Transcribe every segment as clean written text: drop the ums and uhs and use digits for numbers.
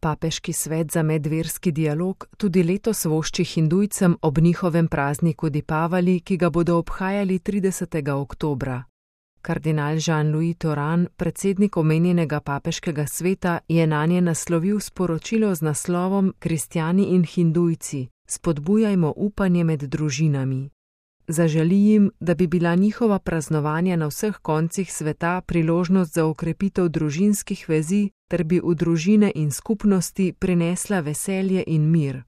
Papeški svet za medverski dialog tudi letos vošči Hindujcem ob njihovem prazniku Dipavali, ki ga bodo obhajali 30. oktobra. Kardinal Jean-Louis Thoran, predsednik omenjenega papeškega sveta, je nanje naslovil sporočilo z naslovom Kristjani in Hindujci, spodbujajmo upanje med družinami. Zaželi jim, da bi bila njihova praznovanja na vseh koncih sveta priložnost za okrepitev družinskih vezi, ter bi v družine in skupnosti prinesla veselje in mir.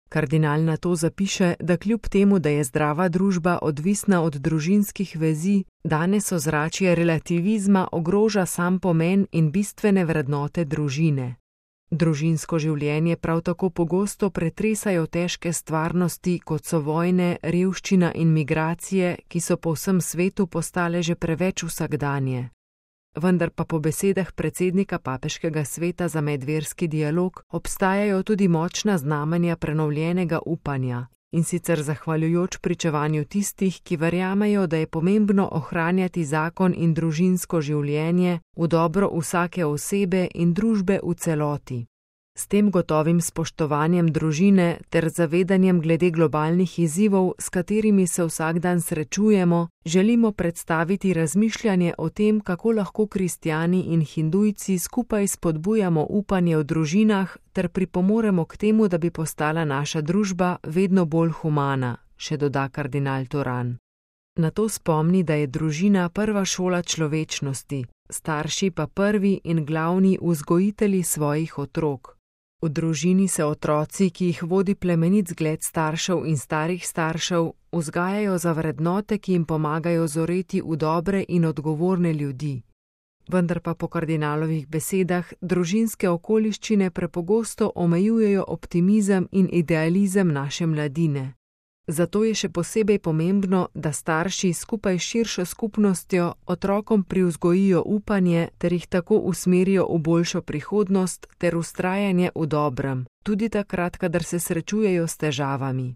Kardinal nato zapiše, da kljub temu, da je zdrava družba odvisna od družinskih vezi, danes ozračje relativizma ogroža sam pomen in bistvene vrednote družine. Družinsko življenje prav tako pogosto pretresajo težke stvarnosti, kot so vojne, revščina in migracije, ki so po vsem svetu postale že preveč vsakdanje. Vendar pa po besedah predsednika papeškega sveta za medverski dialog obstajajo tudi močna znamenja prenovljenega upanja, in sicer zahvaljujoč pričevanju tistih, ki verjamejo, da je pomembno ohranjati zakon in družinsko življenje v dobro vsake osebe in družbe v celoti. S tem gotovim spoštovanjem družine ter zavedanjem glede globalnih izzivov, s katerimi se vsak dan srečujemo, želimo predstaviti razmišljanje o tem, kako lahko kristjani in Hindujci skupaj spodbujamo upanje v družinah ter pripomoremo k temu, da bi postala naša družba vedno bolj humana, še doda kardinal Thoran. Nato spomni, da je družina prva šola človečnosti, starši pa prvi in glavni vzgojitelji svojih otrok. V družini se otroci, ki jih vodi plemenit zgled staršev in starih staršev, vzgajajo za vrednote, ki jim pomagajo zoreti v dobre in odgovorne ljudi. Vendar pa po kardinalovih besedah družinske okoliščine prepogosto omejujejo optimizem in idealizem naše mladine. Zato je še posebej pomembno, da starši skupaj s širšo skupnostjo otrokom privzgojijo upanje ter jih tako usmerijo v boljšo prihodnost ter vztrajanje v dobrem, tudi takrat, kadar se srečujejo s težavami.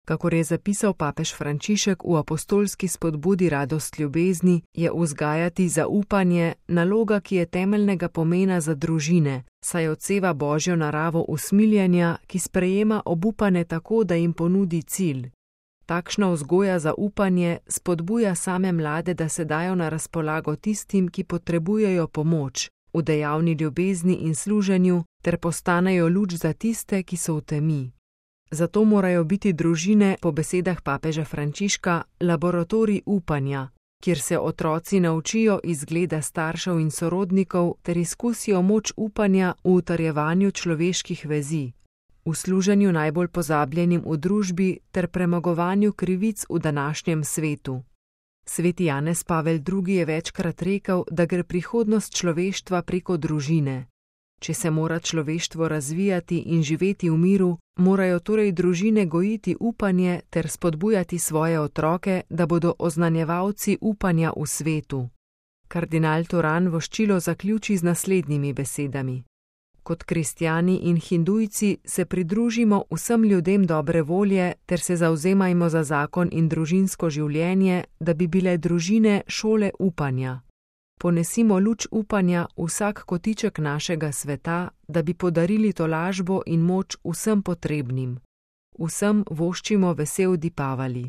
Kakor je zapisal papež Frančišek v apostolski spodbudi Radost ljubezni, je vzgajati zaupanje naloga, ki je temeljnega pomena za družine, saj odseva Božjo naravo usmiljenja, ki sprejema obupane tako, da jim ponudi cilj. Takšna vzgoja za upanje spodbuja same mlade, da se dajo na razpolago tistim, ki potrebujejo pomoč, v dejavni ljubezni in služenju, ter postanejo luč za tiste, ki so v temi. Zato morajo biti družine, po besedah papeža Frančiška, laboratorij upanja, kjer se otroci naučijo izgleda staršev in sorodnikov ter izkusijo moč upanja v utrjevanju človeških vezi, v služenju najbolj pozabljenim v družbi ter premagovanju krivic v današnjem svetu. Sveti Janez Pavel II. Je večkrat rekel, da gre prihodnost človeštva preko družine. Če se mora človeštvo razvijati in živeti v miru, morajo torej družine gojiti upanje ter spodbujati svoje otroke, da bodo oznanjevalci upanja v svetu. Kardinal Thoran voščilo zaključi z naslednjimi besedami. Kot kristjani in Hindujci se pridružimo vsem ljudem dobre volje ter se zavzemajmo za zakon in družinsko življenje, da bi bile družine šole upanja. Ponesimo luč upanja vsak kotiček našega sveta, da bi podarili tolažbo in moč vsem potrebnim. Vsem voščimo vesel Dipavali.